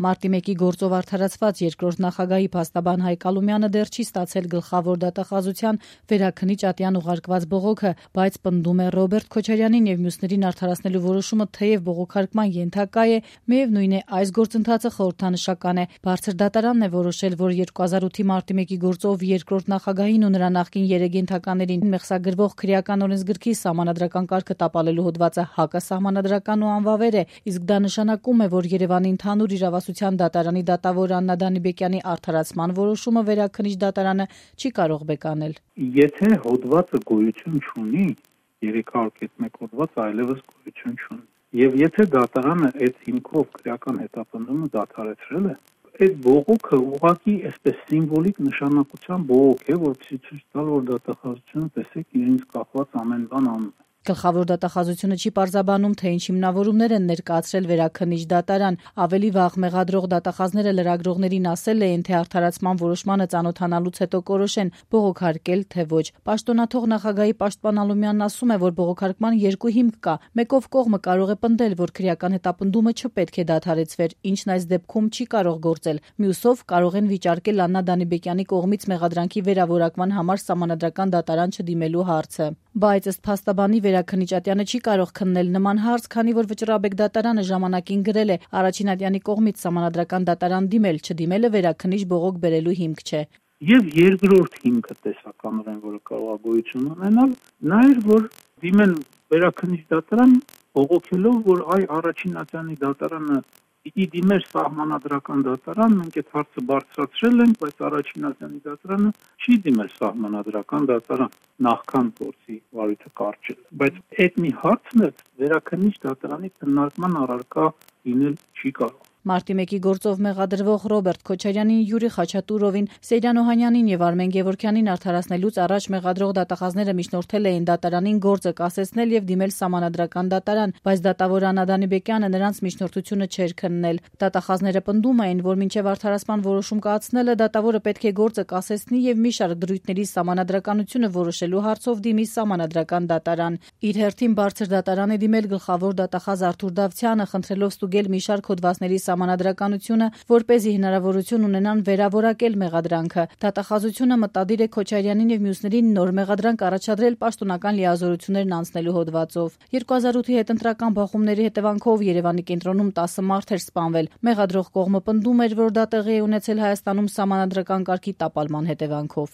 Մարտի 1-ի գործով արդարացված երկրորդ նախագահի փաստաբան Հայկ Ալումյանը դեռ չի ստացել գլխավոր դատախազության վերաքննիչ ատյան ուղարկված բողոքը, բայց պնդում է Ռոբերտ Քոչարյանին եւ մյուսներին արդարացնելու որոշումը թեև բողոքարկման ենթակա է, միևնույն է այս գործընթացը խորհրդանշական է։ Բարձր դատարանն է որոշել, որ 2008-ի մարտի 1-ի գործով երկրորդ նախագահին ու նրա նախկին 3 ենթականերին մեղսագրվող քրեական օրենսգրքի սահմանադրական կարգը տապալելու հոդվածը հակասահմանադրական ու անվավեր է, իսկ դա նշանակում է, որ Երևանի ընդհանուր իրավասության դատարանի դատավոր Աննա Դանիբեկյանի արդարացման որոշումը վերաքննիչ դատարանը չի կարող բեկանել։ Եթե հոդվածը գոյություն չունի, 301 հոդված այլևս գոյություն չունի։ Եվ եթե դատարանը այդ հիմքով քրեական հետապնդումը դադարեցրել է, այդ բողոքը ուղղակի այսպես սիմվոլիկ նշանակության բողոք է, որպեսզի ցույց տալ, որ դատախազությունը տեսեք իրենց կախված ամեն բան անում է։ Գլխավոր դատախազությունը չի պարզաբանում, թե ինչ հիմնավորումներ են ներկայացրել վերաքննիչ դատարան։ Ավելի վաղ մեղադրող դատախազները լրագրողներին ասել էին, թե արդարացման որոշմանը ծանոթանալուց հետո կորոշեն բողոքարկել, թե ոչ։ Պաշտոնաթող նախագահի պաշտպան Ալումյանն ասում է, որ բողոքարկման երկու հիմք կա։ Մեկով կողմը կարող է պնդել, որ քրեական հետապնդումը չպետք է դադարեցվեր, ինչն այս դեպքում չի կարող գործել։ Մյուսով կարող են վիճարկել Աննա Դանիբեկյանի կողմից մեղադրանքի վերավորակման համար սահմանադրական դատարան չդիմելու հարցը։ Բայց ըստ փաստաբանի վերաքննիչ ատյանը չի կարող քննել նման հարց, քանի որ Վճռաբեկ դատարանը ժամանակին գրել է առաջին ատյանի կողմից սահմանադրական դատարան դիմել, չդիմելը վերաքննիչ բողոք բերելու հիմք չէ։ Եվ երկրորդ հիմքը տեսականորեն, որը կարող է գոյություն ունենալ, նա էր, որ դիմեն վերաքննիչ դատարան բողոքելով, որ այ առաջին ատյանի դատարանը պիտի դիմեր սահմանադրական դատարան, մենք այդ հարցը բարձրացրել ենք, բայց առաջին ատյանի դատարանը չի դիմել սահմանադրական դատարան նախքան փորձի վարույթը կարճել։ Բայց այդ մի հարցն է վերաքննիչ դատարանի քննարկման առարկա լինել չի կարող։ Մարտի 1-ի գործով մեղադրվող Ռոբերտ Քոչարյանին, Յուրի Խաչատուրովին, Սեյրան Օհանյանին եւ Արմեն Գևորգյանին արդարացնելուց առաջ մեղադրող դատախազները միջնորդել էին դատարանին գործը կասեցնել եւ դիմել սահմանադրական դատարան, բայց դատավոր Աննա Դանիբեկյանը նրանց միջնորդությունը չէր քննել։ Դատախազները պնդում էին, որ մինչեւ արդարացման որոշում կայացնելը դատավորը պետք է գործը կասեցնի եւ մի շարք դրույթների սահմանադրականությունը որոշելու հարցով դիմի սահմանադրական դատարան։ Իր հերթին բարձր դատարան է դիմել գլխավոր դատախազ Արթուր Դավթյանը, խնդրելով ստուգել մի շարք հոդվածների սահմանադրականությունը, որպեսզի հնարավորություն ունենան վերավորակել մեղադրանքը։ Դատախազությունը մտադիր է Քոչարյանին եւ մյուսներին նոր մեղադրանք առաջադրել պաշտոնական լիազորություններն անցնելու հոդվածով։ 2008-ի հետընտրական բախումների հետևանքով Երևանի կենտրոնում 10 մարդ էր սպանվել։ Մեղադրող կողմը պնդում էր, որ դա տեղի է ունեցել Հայաստանում սահմանադրական կարգի տապալման հետևանքով։